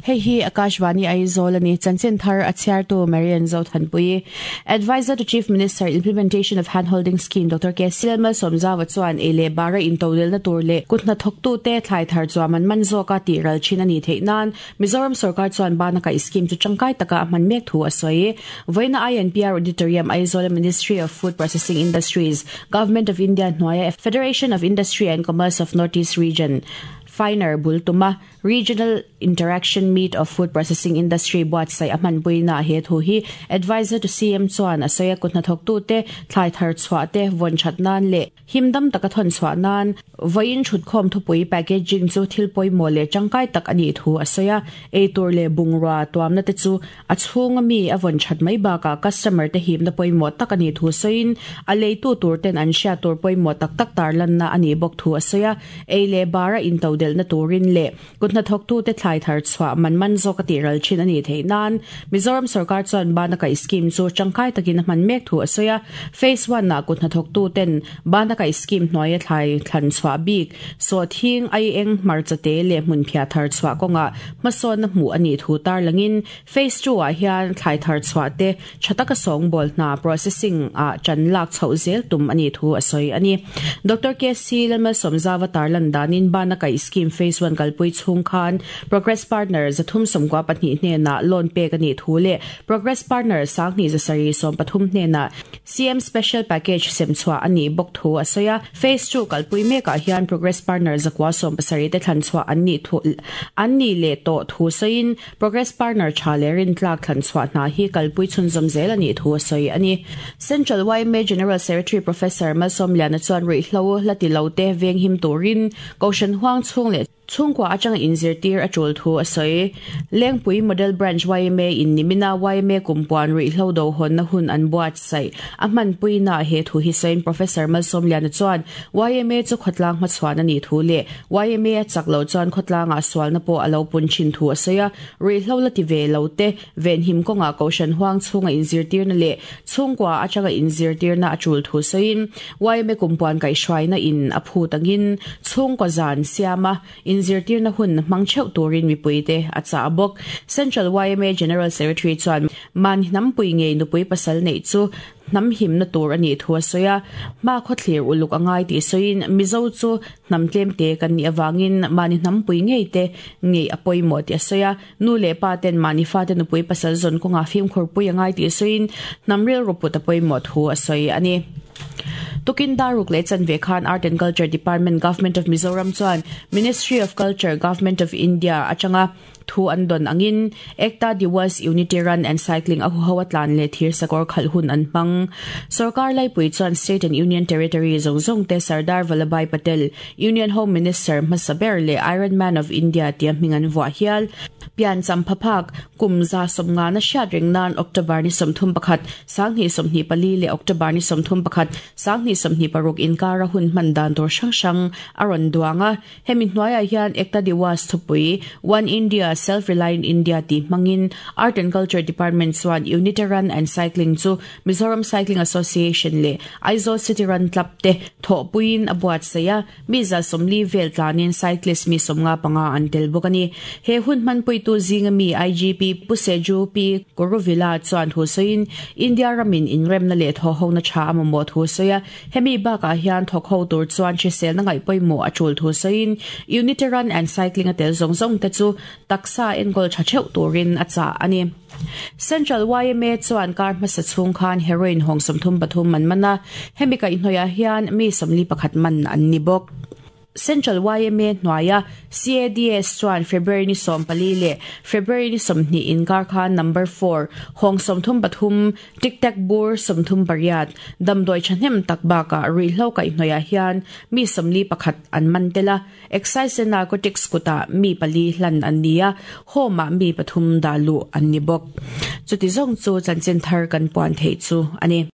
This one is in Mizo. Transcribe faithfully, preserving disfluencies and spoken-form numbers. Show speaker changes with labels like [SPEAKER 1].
[SPEAKER 1] Hei hi Akashvani Aizawl ani chanchin thar a chhiartu Marian Zothanpui. Advisor to Chief Minister Implementation of Handholding Scheme Doctor K C Malsawmzawa chuan ei leh bara intodelna tur leh kut hnathawktu te thlai thar chuan man man zawka tih ral thin ani theih nan Mizoram Sarkar chuan banaka scheme chu tangkai taka a hman mek thu a sawi. Vawiina I N P R Auditorium Aizawl Ministry of Food Processing Industries Government of India hnuaia Federation of Industry and Commerce of Northeast Region Finer Bultuma Regional Interaction Meet of Food Processing Industry buatsaih a hmanpuina he thu hi Advisor to C M chuan a sawi a kut hnathawktu te thlai thar chhuah te vawn that nan leh himdam taka thawn chhuah nan vawiin thutkhawm thupui packaging chu thil pawimawh leh tangkai tak ani thu a sawi a ei tur leh bungrua tuamna te chu a chhunga mi a vawn that mai bakah customer te himna pawimawh tak ani thu sawiin a leitu tur ten an hriat tur pawimawh tak tak tar lanna ani bawk thu a sawi a ei leh bara intodel na turin leh kut hnathawktu te thlai thar chhuah man man zawk a tih ral thin ani theih nan Mizoram Sarkar chuan banaka scheme chu tangkai takin a hman mek thu a sawi a phase one ah kut hnathawktu ten banaka scheme hnuaia thlai thlan chhuah bik saw thing ai eng hmarcha te leh hmun phiah thar chhuah kawnga hmasawn na hmuh ani thu tar langin phase two ah hian thlai thar chhuah te thataka sawngbawl hna processing ah chan lak chhoh zel tum ani thu a sawi ani Doctor K C Lalmalsawmzawa tarlan danin banaka scheme phase one kalpui chung khan Progress Partner zathum somkwa pahnih hnena loan pek ani thu leh Progress Partner sanghni zasari som pathum hnena C M Special Package semchhuah ani bawk thu a sawi a phase two kalpui mekah hian Progress Partner zakwa som pasarih te thlan chhuah an ni thu an ni leh tawh thu sawiin Progress Partner tha leh rin tlak thlan chhuah hna hi kalpui chhunzawm zel ani thu a sawi ani Central Y M A General Secretary Professor Malsawmliana chuan ruihhlo la ti lo te veng him turin Kohhran huang chhung leh chhungkua atanga inzirtir a tul thu a sawi Lengpui Model Branch Y M A in nimina Y M A kumpuan ruihhlo do hawn na hun an buatsaih a hmanpuina he thu hi sawiin Professor Malsawmliana chuan Y M A chu khawtlang hmachhuan ani thu leh Y M A a chak lo chuan khawtlanga sualna pawh a lo pun thin thu a sawi a ruihhlo la ti ve lo te venhim kawnga Kohhran huang chhunga inzirtirna leh chhungkua atanga inzirtirna a tul thu sawiin Y M A kumpuan kaihhruaina in a phut angin chhungkaw zan siama inzirtirna hun hmang theuh turin mipuite a cha bawk Central Y M A General Secretary chuan man hnampui ngei nupui pasal nei chu hnam himna tur ani thu a sawi a hma khawthlir uluk angai tih sawiin Mizo chu hnam tlem te kan nih awangin mahni hnampui ngei te ngei a pawimawh tih a sawi a nu leh pa ten mahni fa te nupui pasal zawn kawnga fimkhurpui angai tih sawiin hnam rilru put a pawimawh thu a sawi ani Tukin Daruk leh Chanve Khan Art and Culture Department Government of Mizoram chuan Ministry of Culture Government of India atanga thu an don angin Ekta Diwas Unity Run and Cycling a huho atlan leh thir sakawr khalh hun an hmang Sarkar laipui chuan State and Union Territory zawng zawng te Sardar Vallabhbhai Patel Union Home Minister hmasa ber leh Iron Man of India tia hming an vuah hial pian champhaphak kumza somnga na hriat reng nan October ni sawmthum pakhat sanghnih sawmhnih pali leh October ni sawmthum pakhat sanghnih sawmhnih paruk inkara hun hman dan tur hrang hrang a rawn duang a hemi hnuaiah hian Ekta Diwas thupui One India Self-Reliant India ti hmangin Art and Culture Department chuan Unity Run and Cycling chu Mizoram Cycling Association leh Aizawl City Run Club te thawhpuiin a buatsaih a mi za sawmli vel tlanin cyclist mi sawmnga panga an tel bawk ani he hun hmanpui tu zinga mi I G P Puseju P Kuruvila chuan thu sawiin India ramin inremna leh thawhhona tha a mamawh thu sawi a hemi bakah hian thawk ho tur chuan hrisel na ngaih pawimawh a tul thu sawiin Unity Run and Cycling a tel zawng zawng te chu taksa enkawl tha theuh turin a chah ani Central Y M A chuan kar hmasa chhung khan heroin hawng sawmthum pathum man man a hemi kaihhnawih hian mi sawmli pakhat man an ni bawk Central Y M A hnuaia C A D S chuan February ni sawm pali leh February ni sawmhnih inkar khan number four hawng sawmthum pathum tic tac bur sawmthum pariat damdawi thahnem tak bakah ruihhlo kaihhnawih hian mi sawmli pakhat an man tel a Excise and Narcotics kutah mi pali hlan an ni a home ah mi pathum dah luh an ni bawk chuti zawng chu chanchin thar kan puan theih chu ani.